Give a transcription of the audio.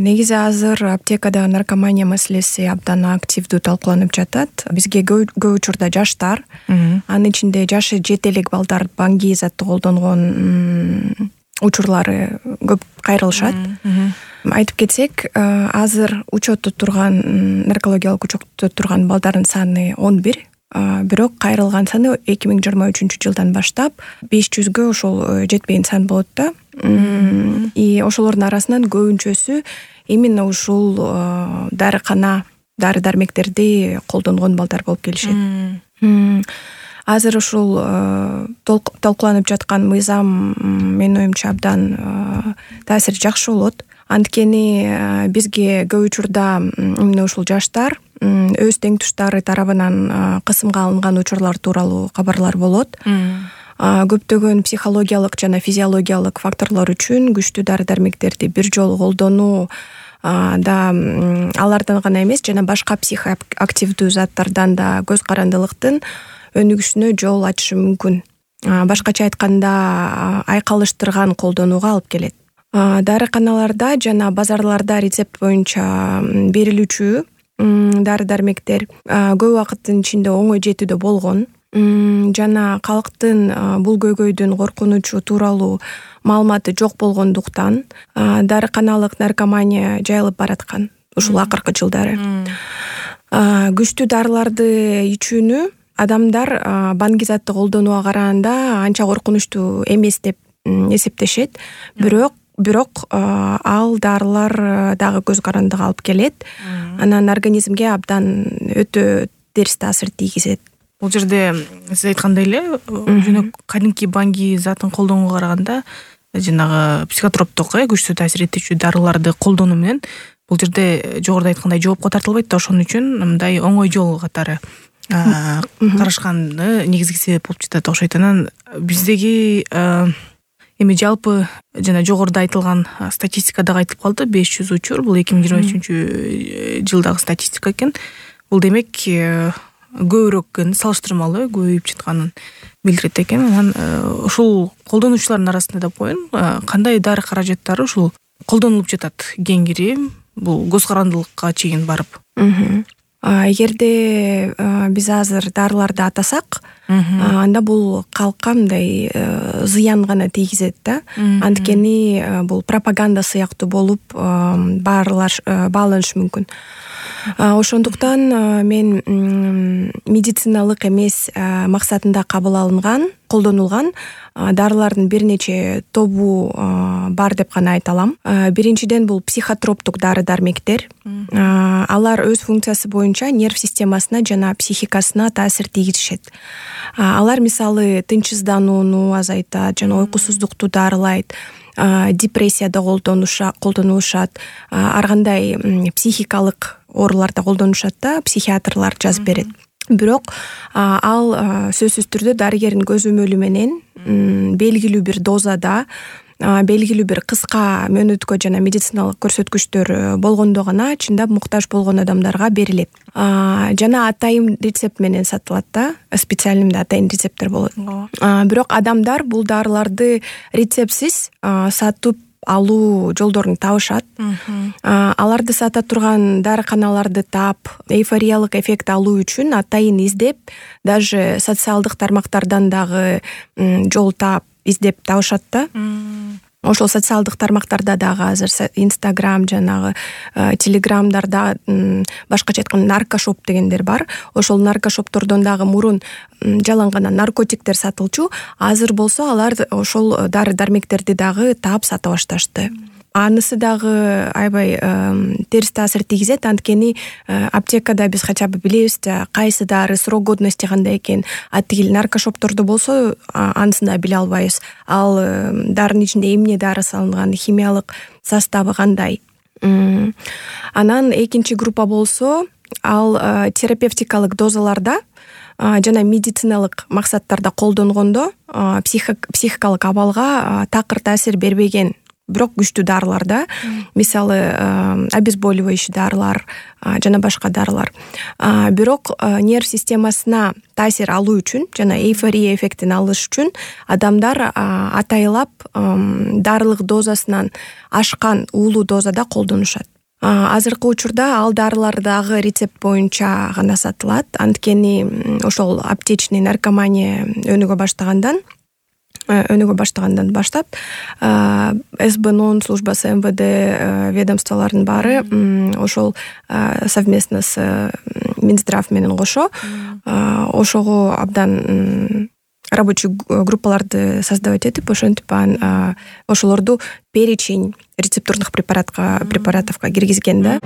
Негизи азыр аптекада наркомания маселеси абдан активдүү талкууланып жатат. Бизге көп учурда жаштар, анын ичинде жашы жете элек балдар баңги затты колдонгон учурлары көп кайрылышат. Айтып кетсек, азыр учетто турган наркологиялык учетто турган балдардын саны 11, бирок кайрылган саны 2023 жылдан баштап 500гө ошол жетпеген сан болот да. И ошолордун арасынан көбүнчөсү именно ушул дарыкана, дары-дармектерди колдонгон балдар болуп келишет. Азыр ушул талкууланып жаткан мыйзам менин оюмча абдан таасири жакшы болот. Анткени бизге көп учурда именно ушул жаштар өз теңтуштары тарабынан кысымга алынган учурлар тууралуу кабарлар болот. Көптөгөн психологиялык жана физиологиялык факторлор үчүн күчтүү дары-дармектерди бир жолу колдонуу да алардан гана эмес, жана башка психоактивдүү заттардан да көз карандылыктын өнүгүшүнө жол ачышы мүмкүн. Башкача айтканда, айкалыштырган колдонууга алып келет. Дарыканаларда жана базарларда рецепт боюнча берилүүчү дары-дармектер көп убакыттын ичинде оңой жетүүдө болгон жана калктын бул көйгөйдүн коркунучу тууралуу маалыматы жок болгондуктан дарыканалык наркомания жайылып бараткан ушул акыркы жылдары. Күчтүү дарыларды ичүүнү адамдар баңги затты колдонууга караганда анча коркунучтуу эмес деп эсептешет. Бирок ал дарылар дагы көз карандыга алып келет. Анан организмге абдан өтө терс таасир тийгизет. Бул жерде сиз айткандай эле, жөнөк кадимки баңги затын колдонууга караганда жанагы психотроптук, күчтүү таасир этүүчү дарыларды колдонуу менен бул жерде жогоруда айткандай жоопко тартылбайт да. Ошон үчүн мындай оңой жол катары карашканы негизги себеп болуп жатат окшойт. Анан биздеги эми жалпы жана жогоруда айтылган статистика дагы айтылып калды. 500 учур, бул 2023 жылдагы статистика экен. Бул демек көбүрөөк салыштырмалуу көбөйүп жатканын билдирет экен. Анан ушул колдонуучулардын арасында да коеюн, кандай дары каражаттары ушул колдонулуп жатат кеңири, бул көз карандылыкка чейин барып? Эгерде биз азыр дарыларды атасак, анда бул калкка мындай зыян гана тийгизет да. Анткени бул пропаганда сыяктуу болуп бааланышы мүмкүн. Ошондуктан мен медициналык эмес максатында кабыл алынган, колдонулган дарылардын бир нече тобу бар деп гана айта алам. Биринчиден бул психотроптук дары-дармектер. Алар өз функциясы боюнча нерв системасына жана психикасына таасир тийгизишет. Алар мисалы тынчсызданууну азайтат жана уйкусуздукту дарылайт. Депрессияда колдонулушат, ар кандай психикалык ооруларда колдонушат да, психиатрлар жазып берет. Бирок ал сөзсүз түрдө дарыгердин көзөмөлү менен белгилүү бир дозада, белгилүү бир кыска мөөнөткө жана медициналык көрсөткүчтөр болгондо гана чындап муктаж болгон адамдарга берилет. Жана атайын рецепт менен сатылат да, специальный атайын рецепттер болот. Бирок адамдар бул дарыларды рецептсиз сатып алуу жолдорун табышат. Аларды сата турган дарыканаларды таап, эйфориялык эффект алуу үчүн атайын издеп, даже социалдык тармактардан дагы жол таап, издеп табышат да. Ошол социалдык тармактарда дагы азыр Instagram жанагы Telegramдарда башкача айтканда наркошоп дегендер бар. Ошол наркошоптордон дагы мурун жалаң гана наркотиктер сатылчу, азыр болсо алар ошол дары-дармектерди дагы таап сата башташты. Анысы дагы аябай терс таасир тийгизет, анткени аптекада биз хотя бы билебиз да кайсы дары срок годности кандай экен. Атигил наркошоптордо болсо анысын да биле албайбыз. Ал дарынын ичинде эмне дары салынган, химиялык составы кандай. Анан экинчи группа болсо ал терапевтикалык дозаларда жана медициналык максаттарда колдонгондо психикалык абалга такыр таасир бербеген, бирок күчтүү дарыларда, мисалы обезболивающий дарылар жана башка дарылар. Бирок нерв системасына таасир алуу үчүн жана эйфория эффектин алыш үчүн адамдар атайлап дарылык дозасынан ашкан уулуу дозада колдонушат. Азыркы учурда ал дарылар дагы рецепт боюнча гана сатылат. Анткени ошол аптечный наркомания өнүгө баштагандан баштап СБНОн службасы, МВД ведомстволордун баары ошол совместно с Минздрав менен кошо ошого абдан рабочий группаларды создавать этип, ошентип ошолорду перечень рецептурных препаратовго киргизген да.